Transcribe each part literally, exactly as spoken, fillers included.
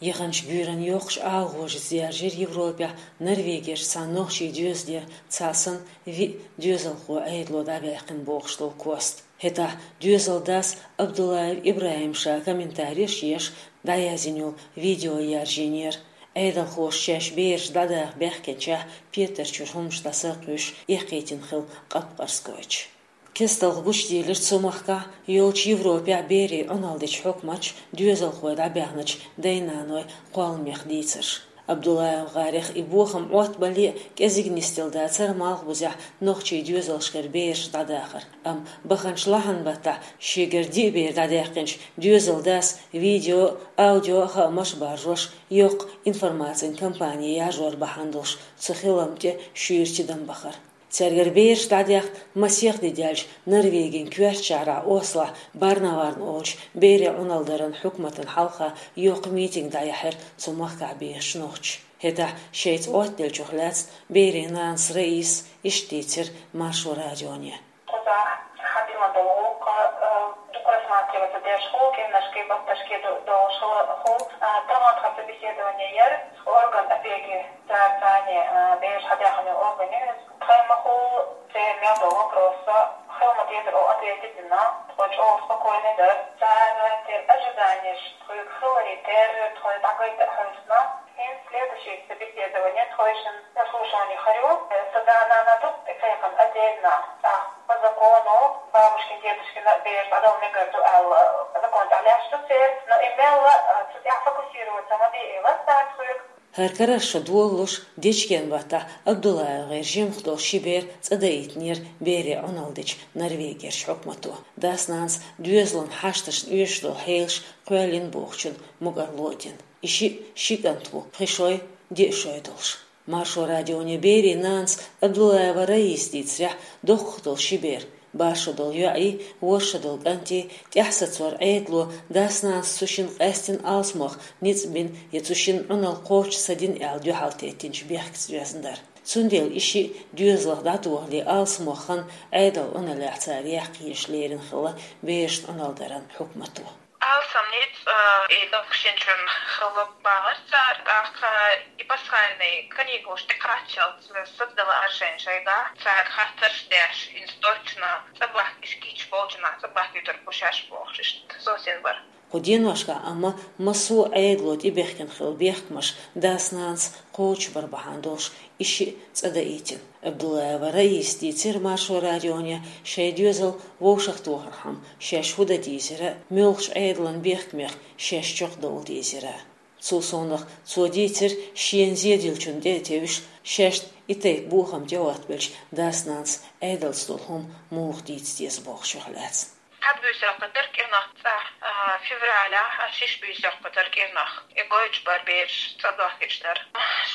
Яханчу буьйранна йоккхачу агӀожца яьржира Европехь Норвегерчу цхьана нохчийн доьзалера цхьа санна виъ доьзалхо Ӏедало дӀабаьккхина бохуш долу кост. ХӀетахь доьзалан дас Абдуллаев ИбрахӀим ша комментареш а еш, дӀаязйина йолу видео яьржийнера. Ӏедалхоша шаьш бераш дӀадаха баьхкинчохь петарчуьра хӀуманаш дӀаса а кхуьйсуш, эккхийтина хилла къапкъарс гойтуш. Кестта гучудийлира цу махкахь йолчу Европехь берийн Ӏуналла дечу хьукматаша доьзалхой дӀабаьхначу дай-наной кхолламех дийцарш. Абдуллаев ГӀарех и бохам Ӏоттабале а кӀезиг нисделла дацара Малхбузехь нохчийн доьзалшкара бераш дӀадахар. Амма баханчу лахьанан баттахь шегара диъ бер дӀадаьккхинчу доьзалан дас видео а, аудио а хаамаш а баржош, йоккха информацин кампани яржор бахьана долуш, цу хиламна тӀе шуьйра тидам бахара. Цаьргара бераш дӀадаьхна масех де даьлча, Норвегин коьртачу шахьарахь Ослохь Барневагн олучу берийн Ӏуналла даран хьукматана хьалха йоккха митинг дӀаяьхьира цу махкахь бехачу нохчаша. ХӀетахь шайца Ӏоттаделлачух лаьцна берийн нанас Раисас иштта дийцира Маршо радионе. Кхузахь хьан дина долу гӀуллакх, а, дукха рассматриваться деш хуьлу, кӀиранашкахь, батташкахь ду-, долуш хуьлу, а, тахана тхан собеседование яра орган опеки, цара царна, а, бераш хьадахана орган ю иза. Тхайн ма-хуьллу, церан мел долу вопросашна хила ма-деззара ответ дина, тхо чӀогӀа спокойно дара. Цара церан ожиданиеш тхоьга хиларе терра, тхоьга дӀагайта а хьовсуш, хӀинца следующий собеседование тхойшинна заслушивание хир ю. Сан да-нана ду и кхайкхина отдельно, тӀаккха по закону, бабушкин, дедушкин бераш дӀадала мегар ду аьлла, закон тӀехь лаьтташ ду церан, но и мелла, а, цу тӀехь фокусироваться ма де, и лаьтташ ду тхоьга. ХӀара карарш шо долалуш, дечкен баттахь Абдуллаев ГӀеран жимах долу ши бер цӀа даийтинера берийн Ӏуналла дечу Норвегерчу хьукмато. Дас-нанас доьзалан хьашташна оьшуш долу хьелаш кхоьллина бохучун мукӀарло а дина. И шиъ ши кӀант ву, пхи шой, диъ шой долуш. Маршо радионе берийн нанас Абдуллаева Раисас дийцарехь, доккхах долу ши бер, бархӀ шо долу йоӀий, ворхӀ шо долу кӀантий, тӀаьхьа сацор Ӏедало дас-нанас цу шинна къаьстина алсамох ницкъ бина я цу шинна Ӏуналла кхочуш ца дина аьлла дуьхьал теттинчу бехкаца доьзна дара. Цундела и шиъ доьзалх дӀатохале алсамох хан Ӏедалан Ӏуналлехь цара яккха езаш лерина хилла берашна Ӏуналла даран хьукмато. Алсам ницкъ, а, и доккхачу шинчун хилла бахара цара, тӀаккха и пасхальный каникулаш тӀекхаччалц сацадала аршен шайгахь, цара хаттарш а деш, хӀинца точно цӀа бахкийча, кийча болчунах цӀа бахкийтар бу шаьш бохуш, иштта совцийна бара. Кху деношкахь амма массо а Ӏедало тӀебехкина хилла бехкамаш дас-нанас кхочушбар бахьана долуш и шиъ цӀа даийтина. Абдуллаева Раисас дийцира Маршо радионе шайн доьзал вовшахтохархьама шаьш хӀун дан дезара, муьлхачу Ӏедалан бехкамех шаьш чекхдовла дезара. Цул совнаха цо дийцира шена зен диллачунна тӀе а тевжаш, шаьшна и тайпа бохам тӀеоттабелча дас-нанас Ӏедалца долу хӀума муха дийца деза бохучух лаьцна. Хьан буьйса кхетар кӀирнах цӀа, а, февралехь, а, шиш буьйса кхетар кӀирнах. И гойтуш бара бераш цӀа дохкуьйтуш дара.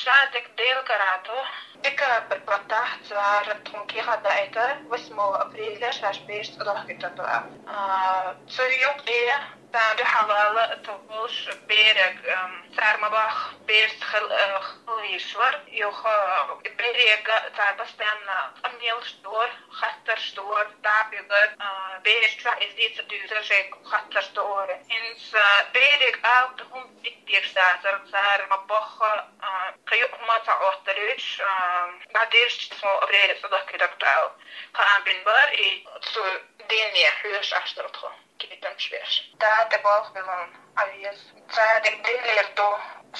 Ша дика Делан кара ду, декабрь баттахь цара тхуна кехат даийтира, восьмого апреля шаьш бераш цӀа дохкуьйтур ду аьлла. А, цу юкъе царна дуьхьал вала тхо болуш берег, ам, цара ма бохху, бераш хил-, а, хила везаш вара. Юха, а, берега цара постоянно къамелаш дора, хаттарш дора, дӀа а буьгура, а, бераш чохь иза дийцар дуьйцура шайга хаттарш дора. ХӀинца берега алапа хӀума дика дезаш дацара, цара ма бохху, а, кхин юкъа хӀума ца Ӏотталуьйтуш, а, дӀадирзича, тхо апреле цӀа дохкуьйтур ду аьлла. Кхаам бина бара, и цу дийне хьоьжуш Ӏаш дара тхо. Кхетамаш беш. Да, тӀе болх биллина Ӏан веза. Цара дика диллар ду.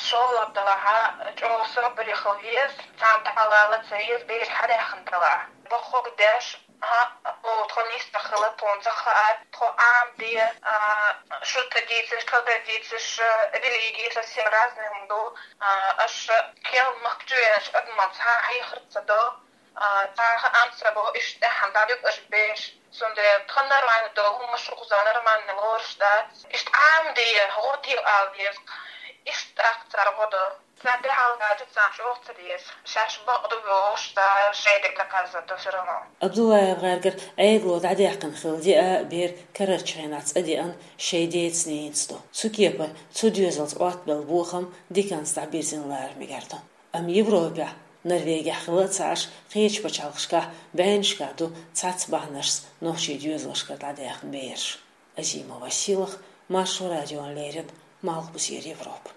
ШолгӀа делахь а, чӀогӀа собаре хила веза. Царна тӀаьхьа вала ца веза, бераш хьадаьхна делахь а. Бохург деш, хӀаъ, тхо нисдала хилла, тхуна ца хаьара, тхо Ӏамаде, а, шуьтта дийцаш, кхидӀа дийцаш, а, религии совсем разные хӀума ду. А, аша кхин махка чу веанчу адамашца хьан хьехар ца до. А, цхьа а хаам ца бо, иштта тӀаьхьа дӀадуьгу аша бераш. Цундела тхан нормально долу хӀума шух за нормально лоруш дац. Иштта Ӏамаде, гӀо де ала деза. Иштта тӀаккха цара гӀо до. Царна тӀаьхьа ваьлча, царна чӀогӀа ца деза. Шаьш бакъ ду бохуш, цара шайн дика доказывать до всё равно. Абдуллаев ГӀаргара Ӏедало дӀадаьккхина хилла диъ а бер карарчу хенахь цӀа деана шайн деца-ненаца ду. Цу кепара цу доьзалца Ӏоттабелла бохам диканца дӀабирзина лара мегар ду. Амма Европехь, Норвегехь хилла а ца Ӏаш, кхечу пачхьалкхашкахь, бӀеннашкахь ду цхьацца бахьанашца нохчийн доьзалшкара дӀадаьхна бераш. Азимова Силах, Маршо радиона леррина, Малхбузера Европа.